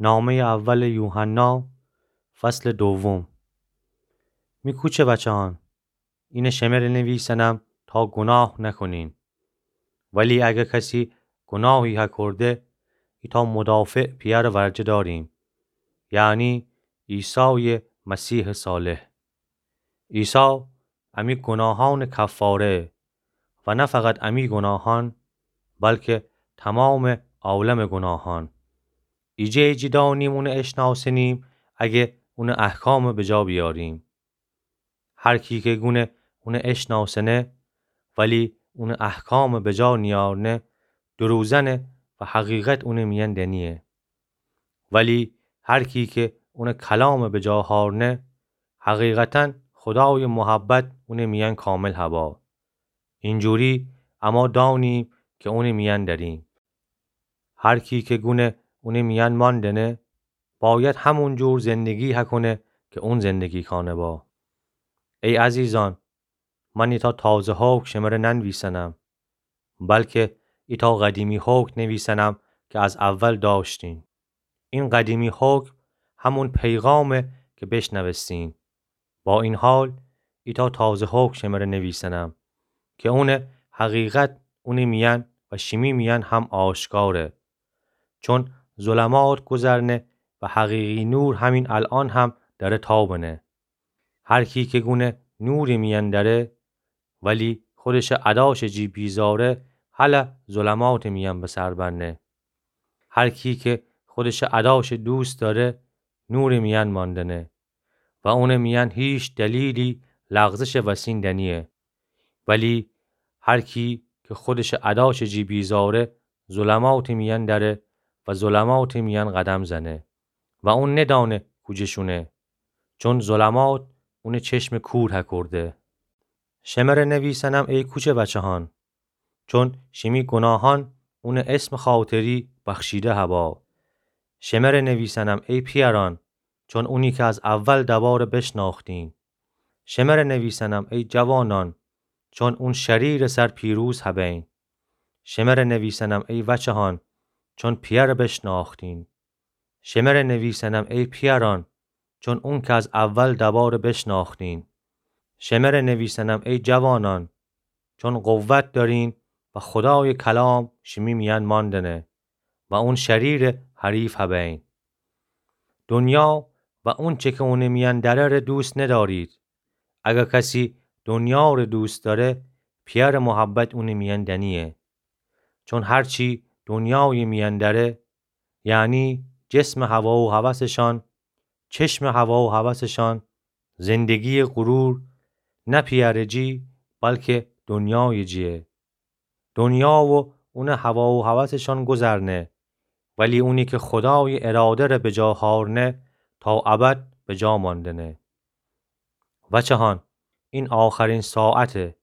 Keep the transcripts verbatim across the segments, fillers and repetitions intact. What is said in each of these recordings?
نامهٔ اول یوحنا، فصل دوم. می کوچه وچه‌هان، اینه شمره نویسنم تا گناه نکنین. ولی اگه کسی گناهی هکرده، ایتأ مدافع پی‌یأر ورجه داریم، یعنی عیسای مسیح صالح. عیسی امی گناهان کفاره و نه فقط امی گناهان، بلکه تمام عالم گناهان. ایجه جی دانیم اونه اشناسنیم اگه اونه احکام بجا بیاریم. هر کی که گونه اونه اشناسنه ولی اونه احکام بجا نیارنه، دروزنه و حقیقت اونه میأن دنیه. ولی هر کی که اونه کلام بجا هارنه، حقیقتاً خدای محبت اونه میأن کامل هبا. اینجوری اما دانیم که اونه میأن دریم. هر کی که گونه اونه میأن ماندنه، باید همون جور زندگی هکنه که اون زندگی کانه با. ای عزیزان، من ایتأ تازه حکم شمره ننویسنم، بلکه ایتأ قدیمی حکم نویسنم که از اول داشتین. این قدیمی حکم همون پیغامه که بشنوستین. با این حال، ایتأ تازه حکم شمره نویسنم که اونه حقیقت اونی میأن و شیمی میأن هم آشکاره. چون ظلمات گذرنه و حقیقی نور همین الأن هم دره تابنه. هر کی که گونه نور میأن دره، ولی خودش اداش جی بیزاره، هله ظلمات میأن به سر برنه. هر کی که خودش اداش دوست داره، نور میأن ماندنه و اون میأن هیچ دلیلی لغزش وسین دنیه. ولی هر کی که خودش اداش جی بیزاره، ظلمات میأن دره و ظلمات میأن قدم زنه و اون ندانه کوجه شونه، چون ظلمات اون چشم کور هکرده. شمره نویسنم ای کوچه وچه‌هان، چون شیمی گناهان اون اسم خاطری بخشیده هبا. شمره نویسنم ای پیأران، چون اونی که از اول دباره بشناختین. شمره نویسنم ای جوانان، چون اون شریر سر پیروز هبین. شمره نویسنم ای وچه‌هان، چون پیأر بشناختین. شمره نویسنم ای پیأران، چون اون که از اول دباره بشناختین. شمره نویسنم ای جوانان، چون قوت دارین و خدای کلام شیمی میأن ماندنه و اون شریر حریف هبین. دنیا و اونچه که اون میأن دره ره دوست ندارید. اگه کسی دنیا ره دوست داره، پیأر محبت اون میأن دنیه. چون هرچی دنیای میأن دره، یعنی جسم هوا و هوسشان، چشم هوا و هوسشان، زندگی غرور، نه پیأر جی، بلکه دنیای جیه. دنیا و اون هوا و هوسشان گذرنه، ولی اونی که خدای اراده ره بجا هارنه، تا ابد بجا ماندنه. وچه‌هان، این آخرین ساعته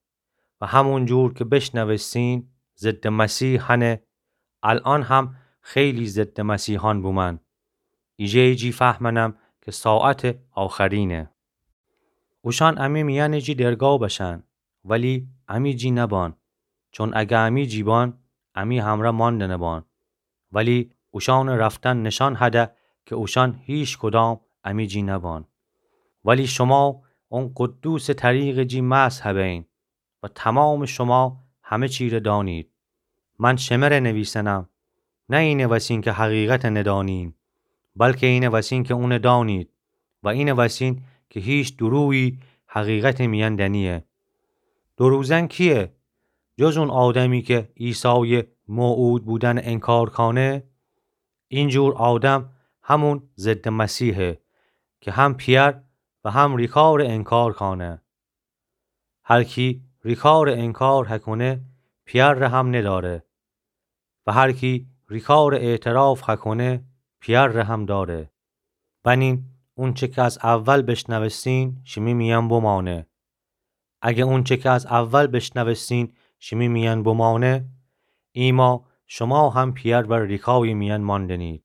و همون جور که بشنوستین ضد مسیح هنه، الأن هم خیلی ضد مسیحان بومن. ایجه جی فهمنم که ساعت آخرینه. اوشان امی میأن جی درگا بشن، ولی امی جی نبان، چون اگه امی جی بان، امی همره ماندنه بان. ولی اوشان رفتن نشان هده که اوشان هیچ کدام امی جی نبان. ولی شما اون قدوس طریق جی مسح هبین و تمام شما همه چی ره دانید. من شمره نویسنم، نه اینه وسین که حقیقت ندانین، بلکه اینه وسین که اون دانید و اینه وسین که هیچ درویی حقیقت میأن دنیه. دروزن کیه؟ جز اون آدمی که عیسای موعود بودن انکار کانه. اینجور آدم همون ضد مسیحه که هم پیأر و هم ریکار انکار کانه. هر کی ریکار انکار هکنه، پیأر ره هم نداره. و هر کی ریکار اعتراف هکنه، پیأر ره هم داره. بنین اونچه که از اول بشنوستین، شیمی میأن بمانه. اگه اونچه که از اول بشنوستین، شیمی میأن بمانه، ایما شما هم پیأر بر ریکای میأن ماندنید.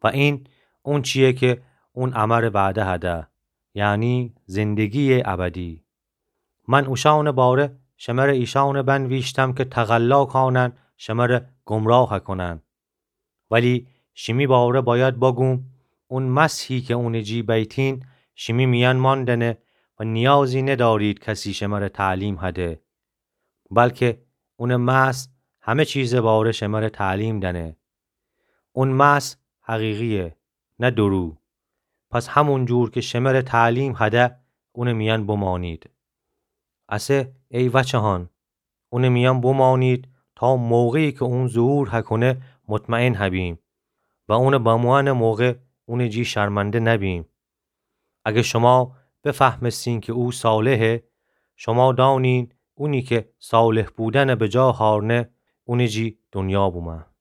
و این اونچیه که اون امر وعده هده، یعنی زندگی ابدی. من اوشان باره شمره ایشان بنویشتم که تقلا کانن شمره گمراه کنن. ولی شیمی باره بأید بگوم، اون مسحی کی اونٚ جی بیتین، شیمی میأن مأندنه و نیازی ندأرید کسی شمره تعلیم هده. بلکه اونٚ مسح همه چیزٚ باره شمره تعلیم دأنه. اون مسح حقیقییه، نه دورو. پس همون جور کی شمره تعلیم هده، اونٚ میأن بمأنید. اسه ای وأچهان، اونٚ میأن بمأنید تا موقعی کی اون ظهور هکونه مطمئن هبیم و اونٚ بموأنٚ موقع اونٚ جی شرمنده نبیم. اگر شما بفهمستین کی او صالحه، شما دأنین اونی کی صالح بودنٚ بجا هأرنه، اونٚ جی دونیا بومه.